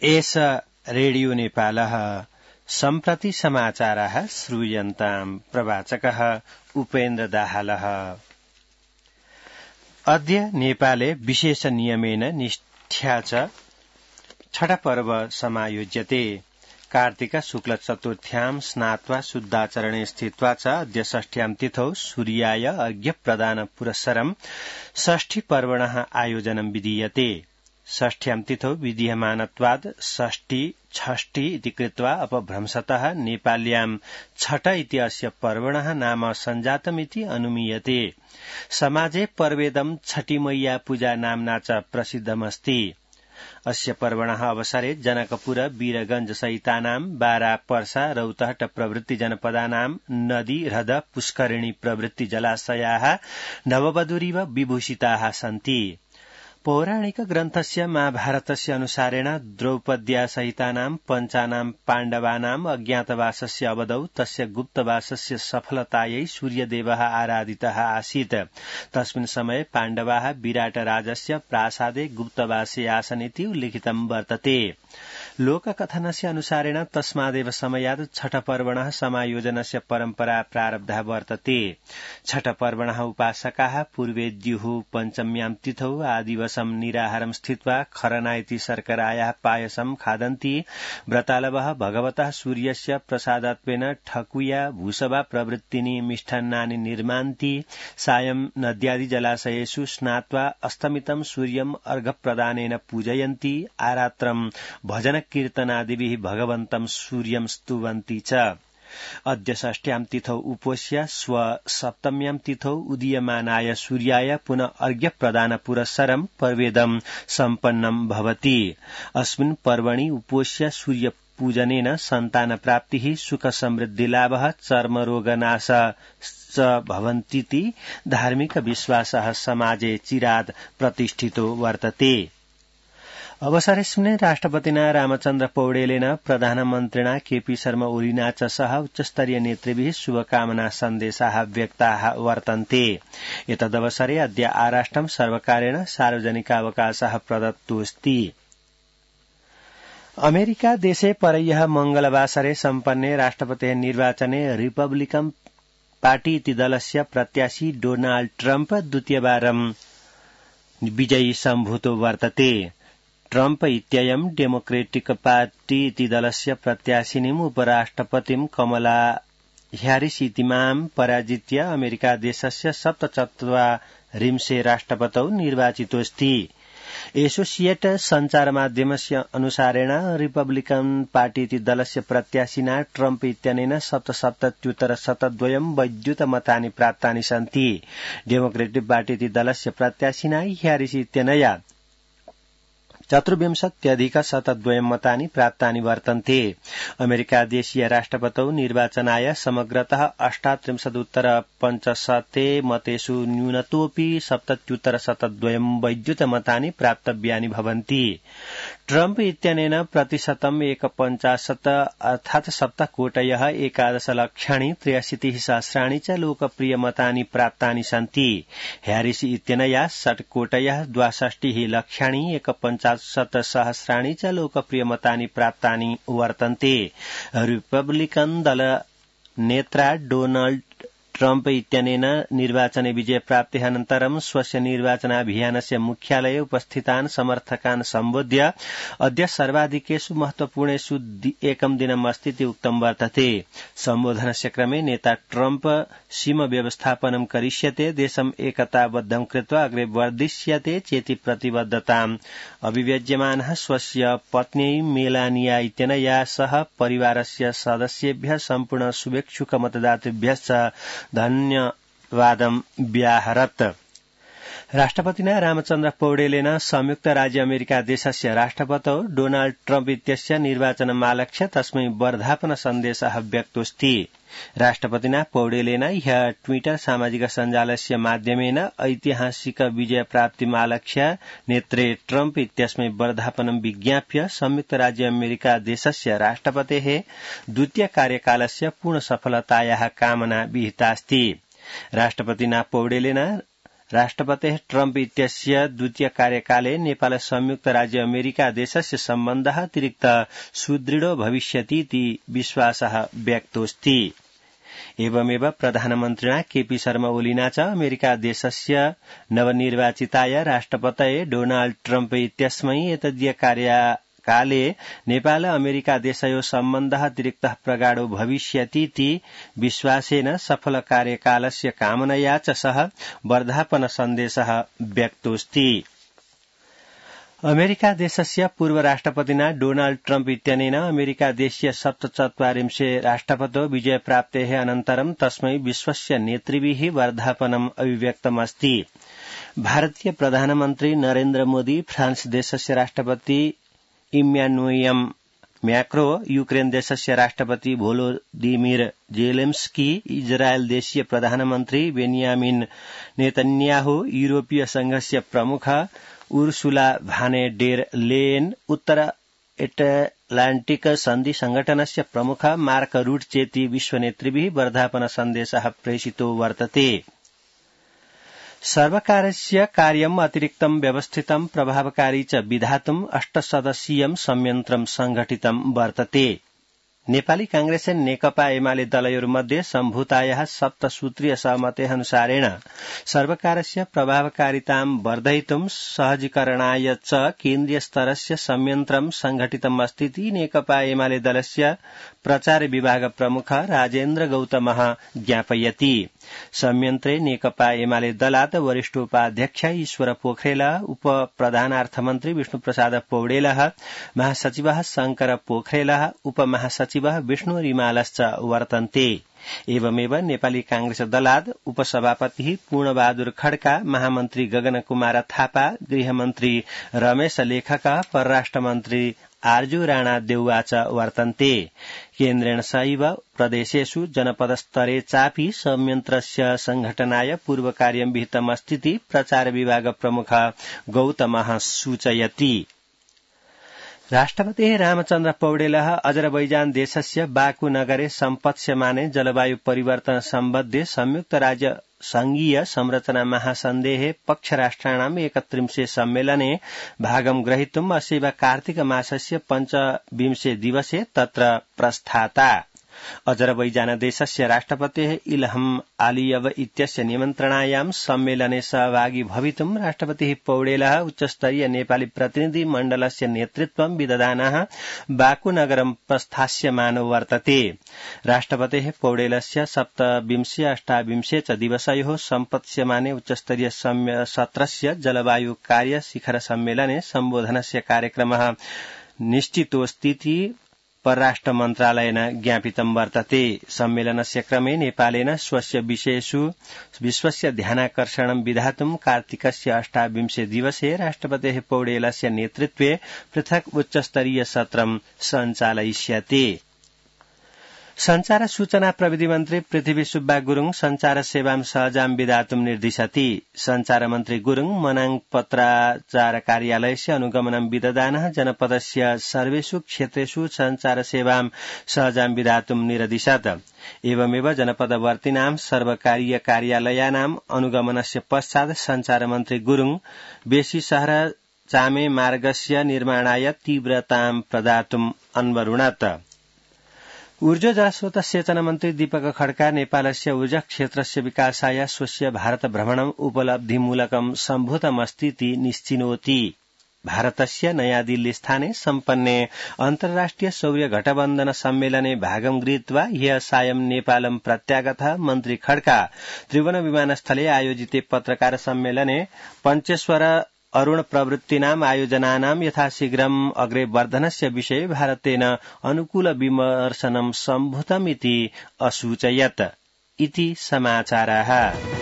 एष रेडियो नेपालः सम्प्रति समाचारः श्रूयन्ताम् प्रवाचकः उपेन्द्र दाहालः। अद्य नेपाले विशेष नियमेन निष्ठ्या च छठ पर्व समायोज्यते। कार्तिक शुक्ल चतुर्थ्यां स्नात्वा शुद्धाचरणे स्थित्वा च अद्य षष्ठ्यां तिथौ सूर्याय अर्घ्य प्रदान पुरस्सरं षष्ठी पर्वणः आयोजनं विधीयते। षष्ठ्यां तिथौ विधीयमानत्वात् षष्ठी षष्ठी इति कृत्वा अपभ्रंशतः नेपाल्यां छठ इति अस्य पर्वणः नाम सञ्जातमिति अनुमीयते। समाजे पर्वेदं छठी मैया पूजा नाम्ना च प्रसिद्धमस्ति। अस्य पर्वणः अवसरे जनकपुर वीरगंज सहितानां बारा पर्सा रौतहट प्रभृति जनपदानां नदी ह्रद पुष्करिणी प्रभृति जलाशयाः नववधूरिव विभूषिताः सन्ति। पौराणिक ग्रन्थस्य महाभारतस्य अनुसारेण द्रौपद्या सहितानां पञ्चानां पाण्डवानाम् अज्ञातवासस्य अवधौ तस्य गुप्तवासस्य सफलतायै सूर्यदेवः आराधितः आसीत्। तस्मिन् समये पाण्डवाः विराटराजस्य प्रासादे गुप्तवासे आसन् इति उल्लिखितं वर्तते। लोककथनस्य अनुसारेण तस्मादेव समयात् छठपर्वणः समायोजनस्य परम्परा प्रारब्धा वर्तते। छठपर्वणः उपासकाः पूर्वे द्युः पञ्चम्यां तिथौ आदिवसं निराहारं स्थित्वा खरना इति शर्करायाः पायसं खादन्ति। व्रतालवः भगवतः सूर्यस्य प्रसादत्वेन ठकुया भूसवा प्रवृत्तीनि मिष्टान्नानि निर्मान्ति। सायं नद्यादि जलाशयेषु स्नात्वा अस्तमितं सूर्यम् अर्घप्रदानेन पूजयन्ति। आरात्रं भजन कीर्तनादिभिः भगवन्तं सूर्यं स्तुवन्ति च। अद्य षष्ठ्यां तिथौ उपोष्य स्व सप्तम्यां तिथौ उदीयमानाय सूर्याय पुनः अर्घ्य प्रदान पुरस्सरं पर्वेदं सम्पन्नं भवति। अस्मिन् पर्वणि उपोष्य सूर्य पूजनेन सन्तान प्राप्तिः सुख समृद्धि लाभः चर्मरोगनाश च भवन्तीति धार्मिक विश्वासः समाजे चिरात् प्रतिष्ठितो वर्तते। अवसरेऽस्मिन् राष्ट्रपतिना रामचन्द्र पौडेलेन प्रधानमन्त्रिणा केपी शर्मा ओलीना च सह उच्चस्तरीय नेतृभिः शुभकामना सन्देशाः व्यक्ताः वर्तन्ते। एतदवसरे अद्य आराष्ट्रं सर्वकारेण सार्वजनिकावकाशः प्रदत्तोऽस्ति। अमेरिका देशे परह्यः मंगलवासरे सम्पन्ने राष्ट्रपतेः निर्वाचने रिपब्लिकन पार्टी इति दलस्य प्रत्याशी डोनाल्ड ट्रम्प द्वितीयवारं विजयी सम्भूतो वर्तते। ट्रम्प इत्ययं डेमोक्रेटिक पार्टी इति दलस्य प्रत्याशिनीम् उपराष्ट्रपतिं कमला ह्यारिस इतीमां पराजित्य अमेरिका देशस्य 74 राष्ट्रपतौ निर्वाचितोऽस्ति। एसोसिएट सञ्चारमाध्यमस्य अनुसारेण रिपब्लिकन पार्टी इति दलस्य प्रत्याशिना ट्रम्प इत्यनेन 77,102 वैद्युतमतानि प्राप्तानि सन्ति। डेमोक्रेटिक पार्टी इति दलस्य प्रत्याशिना ह्यारिस इत्यनया 24,102 मतानि प्राप्तानि वर्तन्ते। अमेरिका देशीय राष्ट्रपतौ निर्वाचनाय समग्रतः 38,उत्तर-550 mateषु न्यूनतोऽपि 70,102 वैद्युतमतानि प्राप्तव्यानि भवन्ति। ट्रम्प इत्यनेन प्रतिशतं 1.50 अर्थात् 7,11,63,63 च लोकप्रियमतानि प्राप्तानि सन्ति। ह्यारिस इत्यनया 6,62,50,150 च लोकप्रियमतानि प्राप्तानि वर्तन्ते। रिपब्लिकन दल नेत्रा डोनाल्ड ट्रम्प इत्यनेन निर्वाचने विजयप्राप्तेः अनन्तरं स्वस्य निर्वाचनाभियानस्य मुख्यालये उपस्थितान् समर्थकान् सम्बोध्य अद्य सर्वाधिकेषु महत्वपूर्णेषु एकं दिनम् अस्ति इति उक्तं वर्तते। सम्बोधनस्य क्रमे नेता ट्रम्प सीम व्यवस्थापनं करिष्यते, देशम् एकताबद्धं कृत्वा अग्रे वर्धिष्यते चेति प्रतिबद्धताम् अभिव्यज्यमानः स्वस्य पत्न्यै मेलानिया इत्यनया सह परिवारस्य सदस्येभ्यः सम्पूर्ण शुभेच्छुक मतदातृभ्यश्च धन्यवादं व्याहरत्। राष्ट्रपतिना रामचन्द्र पौडेलेन संयुक्त राज्य अमेरिका देशस्य राष्ट्रपतौ डोनाल्ड ट्रम्प इत्यस्य निर्वाचनमालक्ष्य तस्मै वर्धापन सन्देशः व्यक्तोऽस्ति। राष्ट्रपतिना पौडेलेन ह्यः ट्विटर सामाजिक सञ्जालस्य माध्यमेन ऐतिहासिक विजयप्राप्तिमालक्ष्य नेत्रे ट्रम्प इत्यस्मै वर्धापनं विज्ञाप्य संयुक्त राज्य अमेरिका देशस्य राष्ट्रपतेः द्वितीय कार्यकालस्य पूर्ण सफलतायाः कामना विहितास्ति। राष्ट्रपतिना पौडेलेन राष्ट्रपतेः ट्रम्प इत्यस्य द्वितीय कार्यकाले नेपाल संयुक्त राज्य अमेरिका देशस्य सम्बन्धः अतिरिक्त सुदृढो भविष्यतीति विश्वासः व्यक्तोऽस्ति। एवमेव प्रधानमन्त्रिणा केपी शर्मा ओलिना च अमेरिका देशस्य नवनिर्वाचिताय राष्ट्रपतये डोनाल्ड ट्रम्प इत्यस्मै एतदीय कार्यकाले नेपाल अमेरिका देशयो सम्बन्धः अतिरिक्तः प्रगाढो भविष्यतीति विश्वासेन सफल कार्यकालस्य कामनया च सह वर्धापन सन्देशः व्यक्तोऽस्ति। अमेरिका देशस्य पूर्व राष्ट्रपतिना डोनाल्ड ट्रम्प इत्यनेन अमेरिका देशीय 47 राष्ट्रपतो विजयप्राप्तेः अनन्तरं तस्मै विश्वस्य नेतृभिः वर्धापनम् अभिव्यक्तमस्ति। भारतीय प्रधानमन्त्री नरेन्द्र मोदी, फ्रान्स देशस्य राष्ट्रपति इम्यानुएल मैक्रो, यूक्रेन देशस्य राष्ट्रपति भोलोदिमिर जेलेन्स्की, इजरायल देशीय प्रधानमन्त्री बेन्यामिन नेतन्याहु, यूरोपीय संघस्य प्रमुख उर्सुला भाने डेर लेयन, उत्तर एटलान्टिक सन्धि संघटनस्य प्रमुख मार्क रूट चेति विश्वनेतृभिः वर्धापन सन्देशः प्रेषितो वर्तते। सर्वकारस्य कार्यम् अतिरिक्तं व्यवस्थितं प्रभावकारी च विधातुम् 8 सदस्यीयं संयन्त्रं संघटितं वर्तते। नेपाली कांग्रेस नेकपा एमाले दलयोर्मध्ये सम्भूतायाः 7 सूत्रीय सहमतेऽनुसारेण सर्वकारस्य प्रभावकारितां वर्धयितुं सहजीकरणाय च केन्द्रीय स्तरस्य संयन्त्रं संघटितमस्तीति नेकपा एमाले दलस्य प्रचार विभाग प्रमुख राजेन्द्र गौतमः ज्ञापयति। संयन्त्रे नेकपा एमाले दलात् वरिष्ठोपाध्यक्ष ईश्वर पोखरेल, उप प्रधानार्थमन्त्री विष्णुप्रसाद पौडेलः, महासचिवः शंकर पोखरेलः, उपमहासचिवः विष्णु रिमालश्च वर्तन्ते। एवमेव नेपाली कांग्रेस दलात् उपसभापतिः पूर्णबहादुर खड्का, महामन्त्री गगन कुमार थापा, गृहमन्त्री रमेश लेखक, परराष्ट्रमन्त्री आर्जु राणा देउवा च वर्तन्ते। केन्द्रेण सैव प्रदेशेषु जनपदस्तरे चापि संयन्त्रस्य संघटनाय पूर्वकार्यं विहितमस्तीति प्रचार विभाग प्रमुख गौतमः सूचयति। राष्ट्रपतिः रामचन्द्र पौडेलः अजरबैजान देशस्य बाकू नगरे सम्पत्स्यमाने जलवायु परिवर्तन सम्बद्धे संयुक्त राज्य संघीय संरचना महासन्धेः पक्षराष्ट्राणाम् 31 सम्मेलने भागं ग्रहीतुम् अस्यैव कार्तिक मासस्य 25 दिवसे तत्र प्रस्थाता। अजरबैजान देशस्य राष्ट्रपतेः इल्हम आलियव इत्यस्य निमन्त्रणायां सम्मेलने सहभागी भवितुं राष्ट्रपतिः पौडेलः उच्चस्तरीय नेपाली प्रतिनिधि मण्डलस्य नेतृत्वं विदधानः बाकू नगरं प्रस्थास्यमानो वर्तते। राष्ट्रपतेः पौडेलस्य 27-28 च दिवसयोः सम्पत्स्यमाने उच्चस्तरीय सत्रस्य जलवायु कार्य शिखर सम्मेलने सम्बोधनस्य कार्यक्रमः निश्चितोऽस्तीति परराष्ट्र मन्त्रालयेन ज्ञापितं वर्तते। सम्मेलनस्य क्रमे नेपालेन स्वस्य विषयेषु विश्वस्य ध्यानाकर्षणं विधातुं कार्तिकस्य 28 दिवसे राष्ट्रपतेः पौडेलस्य नेतृत्वे पृथक् उच्चस्तरीय सत्रं सञ्चालयिष्यते। संचार सूचना प्रविधि मन्त्री पृथ्वी सुब्बा गुरूङ संचार सेवां सहजां विधातुं निर्दिशति। संचार मन्त्री गुरूङ मनाङ पत्राचार कार्यालयस्य अनुगमनं विदधानः जनपदस्य सर्वेषु क्षेत्रेषु संचार सेवां सहजां विधातुं निर्दिशत्। एवमेव जनपदवर्तीनां सर्वकारीय कार्यालयानाम् अनुगमनस्य पश्चात् संचार मन्त्री गुरूङ बेसी शहर चामे मार्गस्य निर्माणाय तीव्रतां प्रदातुम् अन्वरुणत्। ऊर्जा जलस्रोत सेचन मन्त्री दीपक खड्का नेपालस्य ऊर्जा क्षेत्रस्य विकासाय स्वस्य भारत भ्रमणम् उपलब्धिमूलकं सम्भूतमस्तीति निश्चिनोति। भारतस्य नयाँ दिल्ली स्थाने सम्पन्ने अन्तर्राष्ट्रिय सौर्य गठबन्धन सम्मेलने भागं गृहीत्वा ह्यः सायं नेपालं प्रत्यागतः मन्त्री खड्का त्रिभुवन विमानस्थले आयोजिते पत्रकार सम्मेलने पञ्चेश्वर अरुण प्रवृत्तीनाम् आयोजनानां यथाशीघ्रम् अग्रे वर्धनस्य विषये भारतेन अनुकूल विमर्शनं सम्भूतमिति असूचयत्। इति समाचाराः।